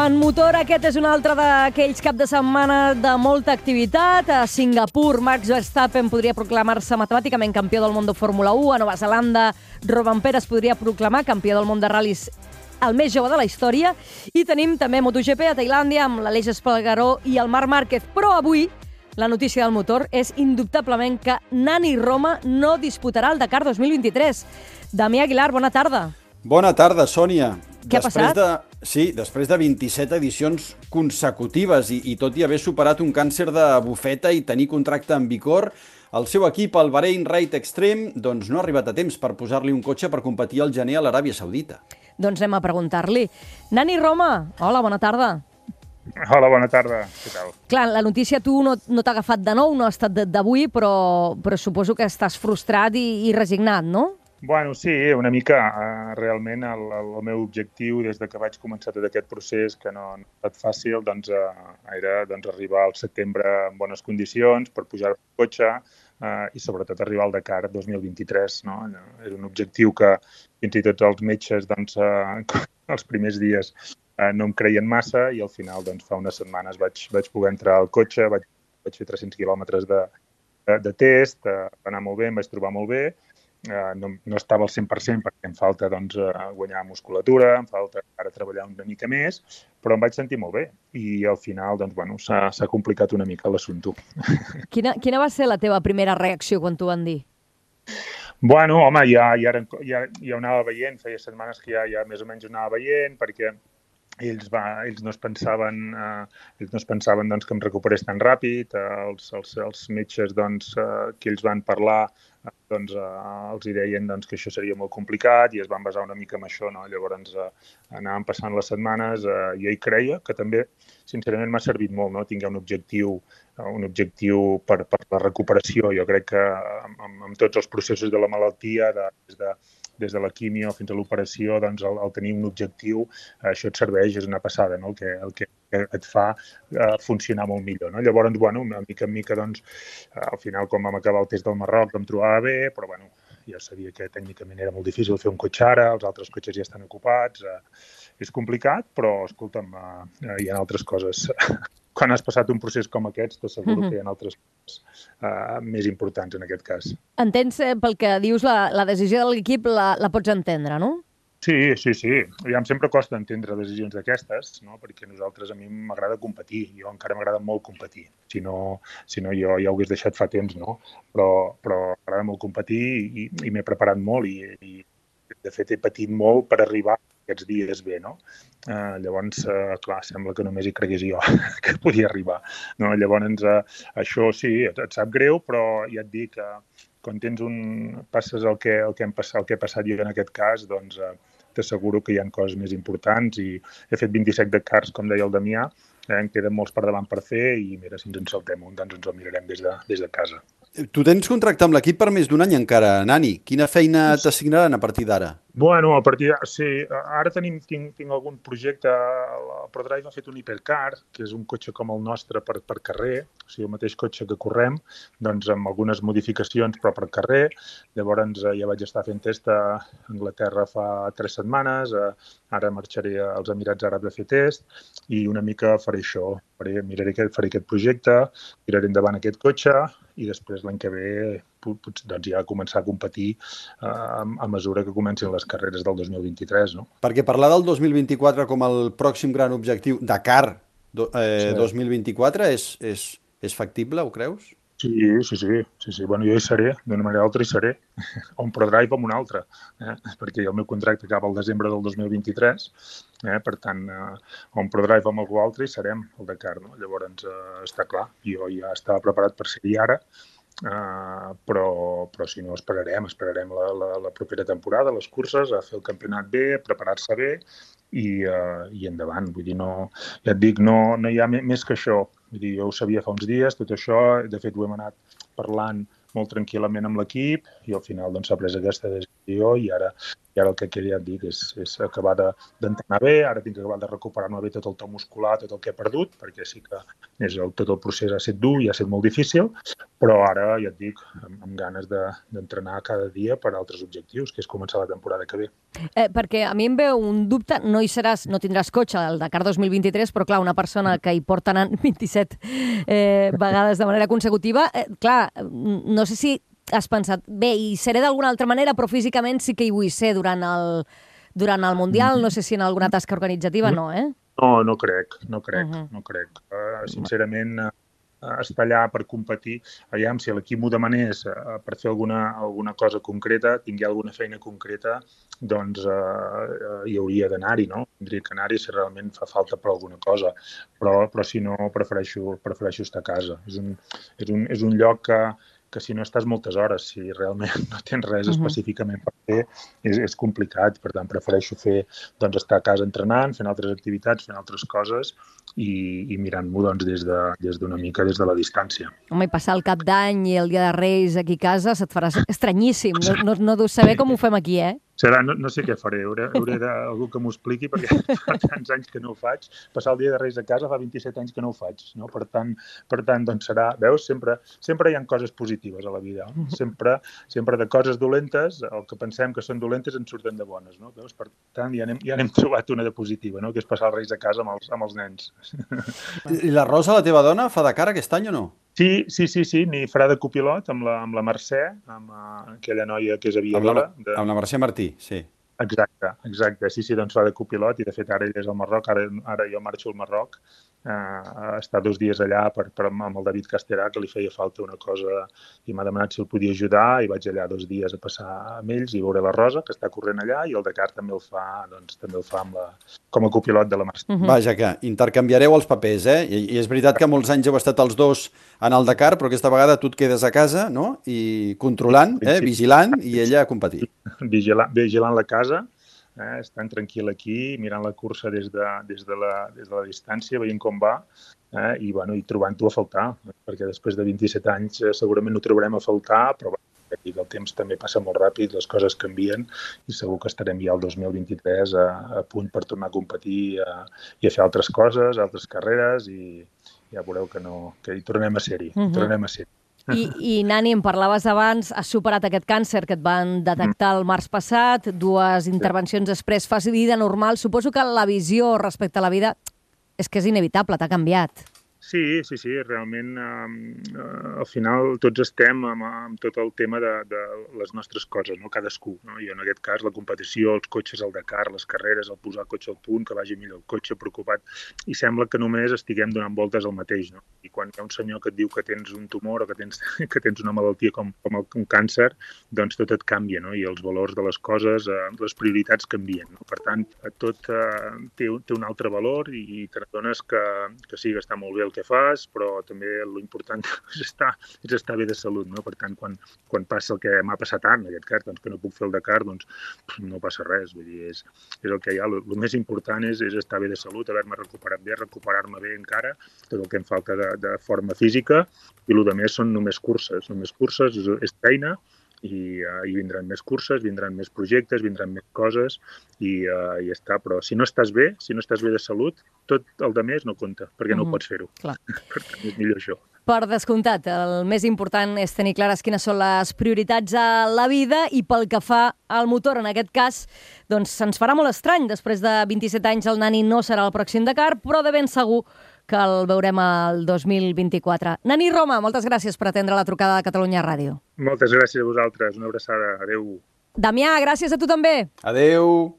En motor, aquest és un altre d'aquells cap de setmana de molta activitat. A Singapur, Max Verstappen podria proclamar-se matemàticament campió del món de Fórmula 1. A Nova Zelanda, Rovanpera es podria proclamar campió del món de ral·lis, el més jove de la història. I tenim també MotoGP a Tailàndia amb l'Aleix Espargaró i el Marc Márquez. Però avui la notícia del motor és indubtablement que Nani Roma no disputarà el Dakar 2023. Damià Aguilar, bona tarda. Bona tarda, Sònia. Què ha passat? Després de 27 edicions consecutives i tot i haver superat un càncer de bufeta i tenir contracte en vigor, el seu equip, el Bahrain Ride Extreme, doncs no ha arribat a temps per posar-li un cotxe per competir al gener a l'Aràbia Saudita. Doncs anem a preguntar-li. Nani Roma, hola, bona tarda. Hola, bona tarda. Què tal? Clar, la notícia tu no t'ha agafat de nou, no ha estat d'avui, però suposo que estàs frustrat i resignat, no? Bueno, sí, una mica. Realment el meu objectiu des de que vaig començar tot aquest procés, que no ha estat fàcil, era arribar al setembre en bones condicions per pujar el cotxe i sobretot arribar al Dakar 2023. No? Era un objectiu que fins i tot els metges els primers dies no em creien massa i al final fa unes setmanes vaig poder entrar al cotxe, vaig fer 300 quilòmetres de test, va anar molt bé, em vaig trobar molt bé. No estava al 100% perquè em falta guanyar musculatura, em falta ara treballar una mica més, però em vaig sentir molt bé i al final s'ha complicat una mica l'assumpte. Quina va ser la teva primera reacció quan t'ho van dir? Bueno, home, ja ho anava veient, feia setmanes que ja més o menys ho anava veient perquè ells no es pensaven que em recuperés tan ràpid. Els metges que ells van parlar els hi deien que això seria molt complicat i es van basar una mica en això. No? Llavors anàvem passant les setmanes i jo hi creia que també, sincerament, m'ha servit molt, no? Tinc un objectiu per la recuperació. Jo crec que amb tots els processos de la malaltia, des de la quimio fins a l'operació, el tenir un objectiu, això et serveix, és una passada, no? El que et fa funcionar molt millor. No? Llavors, una mica en mica, al final, quan vam acabar el test del Marroc, em trobava bé, però ja sabia que tècnicament era molt difícil fer un cotxe ara, els altres cotxes ja estan ocupats, és complicat, però, escolta'm, hi ha altres coses. Quan has passat un procés com aquest, t'asseguro que hi ha altres coses més importants en aquest cas. Entens, pel que dius, la decisió de l'equip la pots entendre, no? Sí. Em sempre costa entendre decisions d'aquestes, no? Perquè a mi m'agrada competir. Jo encara m'agrada molt competir. Si no, jo ja ho hagués deixat fa temps, no? Però m'agrada molt competir i m'he preparat molt i de fet he patit molt per arribar aquests dies bé, no? Llavors, clar, sembla que només hi cregués jo que podia arribar. No? Llavors, això sí, et sap greu, però ja et dic que quan passes el que he passat jo en aquest cas, t'asseguro que hi ha coses més importants i he fet 27 Dakars, com deia el Damià, en queden molts per davant per fer i mira, si ens en saltem un, ens el mirarem des de casa. Tu tens contracte amb l'equip per més d'un any encara, Nani. Quina feina t'assignaran a partir d'ara? Bueno, a partir d'ara, sí. Ara tinc algun projecte. El ProDrive ha fet un hipercar, que és un cotxe com el nostre per carrer, o sigui, el mateix cotxe que correm, amb algunes modificacions, però per carrer. Llavors ja vaig estar fent test a Anglaterra fa 3 setmanes, ara marxaré als Emirats Àrabs a fer test i una mica faré això. Faré aquest projecte, tiraré endavant aquest cotxe i després l'any que ve ja començar a competir a mesura que comencin les carreres del 2023. No? Perquè parlar del 2024 com el pròxim gran objectiu, Dakar 2024, és factible, ho creus? Sí. Bueno, jo hi seré, d'una manera o altra hi seré, o un ProDrive o un altre, perquè el meu contracte acaba el desembre del 2023, per tant, o un ProDrive o amb algú altre hi serem, al Dakar. No? Llavors, està clar, jo ja estava preparat per ser-hi ara, però si no esperarem la propera temporada, les curses, a fer el campionat bé, preparar-se bé i endavant. Vull dir, ja et dic, no hi ha més que això. Vull dir, jo ho sabia fa uns dies, tot això, de fet ho hem anat parlant molt tranquil·lament amb l'equip i al final s'ha pres aquesta decisió. i ara el que queda, ja et dic, és acabar d'entrenar bé, ara tinc que acabar de recuperar-me bé tot el to muscular, tot el que he perdut, perquè sí que tot el procés ha estat dur i ha estat molt difícil, però ara, ja et dic, amb ganes d'entrenar cada dia per a altres objectius, que és començar la temporada que ve. Perquè a mi em ve un dubte, no tindràs cotxe al Dakar 2023, però clar, una persona que hi porta anant 27 vegades de manera consecutiva, clar, no sé si has pensat, bé, hi seré d'alguna altra manera, però físicament sí que hi vull ser durant el Mundial, no sé si en alguna tasca organitzativa, no, eh? No crec. Sincerament, estar allà per competir, aviam, si l'equip m'ho demanés per fer alguna cosa concreta, tingui alguna feina concreta, doncs hi hauria d'anar-hi, no? Tindria que anar-hi si realment fa falta per alguna cosa, però si no, prefereixo estar a casa. És un lloc que si no estàs moltes hores, si realment no tens res específicament per fer, és complicat. Per tant, prefereixo estar a casa entrenant, fent altres activitats, fent altres coses i mirant-m'ho des d'una mica des de la distància. Home, i passar el Cap d'Any i el Dia de Reis aquí a casa se't farà estranyíssim. No deus saber com ho fem aquí, eh? No sé què faré, hauré d'algú que m'ho expliqui, perquè fa tants anys que no ho faig. Passar el Dia de Reis a casa fa 27 anys que no ho faig, no? Per tant, doncs serà... Veus? Sempre hi ha coses positives a la vida. Sempre de coses dolentes, el que pensem que són dolentes en surten de bones, no? Veus? Per tant, ja n'hem trobat una de positiva, no? Que és passar els Reis a casa amb els nens. I la Rosa, la teva dona, fa Dakar aquest any o no? Sí, n'hi farà de copilot amb la Mercè, amb aquella noia que és aviadora. Amb la Mercè Martí, sí. Exacte. Sí, doncs fa de copilot i de fet ara ella és al Marroc, ara jo marxo al Marroc a estar 2 dies allà amb el David Casterà, que li feia falta una cosa i m'ha demanat si el podia ajudar i vaig allà 2 dies a passar amb ells i veure la Rosa, que està corrent allà, i el Dakar també el fa com a copilot de la Mercè. Vaja, que intercanviareu els papers, eh? I és veritat que molts anys heu estat els dos en el Dakar, però aquesta vegada tu et quedes a casa, no? I controlant, vigilant, i ella a competir. Vigilant la casa, estant tranquil aquí, mirant la cursa des de la distància, veient com va, i trobant-ho a faltar, perquè després de 27 anys segurament ho trobarem a faltar, però el temps també passa molt ràpid, les coses canvien i segur que estarem ja el 2023 a punt per tornar a competir i a fer altres coses, altres carreres, i ja veureu que hi tornem a ser-hi. I Nani, em parlaves abans, has superat aquest càncer que et van detectar el març passat, 2 intervencions després, fas vida normal. Suposo que la visió respecte a la vida és que és inevitable, t'ha canviat. Sí, realment al final tots estem amb tot el tema de les nostres coses, no? Cadascú, no? I en aquest cas la competició, els cotxes al Dakar, les carreres, el posar el cotxe al punt, que vagi millor el cotxe, preocupat, i sembla que només estiguem donant voltes al mateix, no? I quan hi ha un senyor que et diu que tens un tumor o que tens una malaltia com un càncer, doncs tot et canvia, no? I els valors de les coses, les prioritats canvien, no? Per tant, tot té un altre valor i te n'adones que sí, que està molt bé el que fas, però també l'important és estar bé de salut, no? Per tant, quan passa el que m'ha passat en aquest cas, doncs que no puc fer el Dakar, doncs no passa res, vull dir, és el que hi ha. El més important és estar bé de salut, haver-me recuperat bé, recuperar-me bé encara, tot el que em falta de forma física, i el que més són només curses, és feina, i vindran més curses, vindran més projectes, vindran més coses i ja està. Però si no estàs bé de salut, tot el de més no compta, perquè no pots fer-ho. Clar. Per tant, és millor això. Per descomptat, el més important és tenir clares quines són les prioritats a la vida i pel que fa al motor, en aquest cas, doncs se'ns farà molt estrany. Després de 27 anys el Nani no serà el pròxim Dakar, però de ben segur que el veurem el 2024. Nani Roma, moltes gràcies per atendre la trucada de Catalunya Ràdio. Moltes gràcies a vosaltres. Una abraçada. Adéu. Damià, gràcies a tu també. Adéu.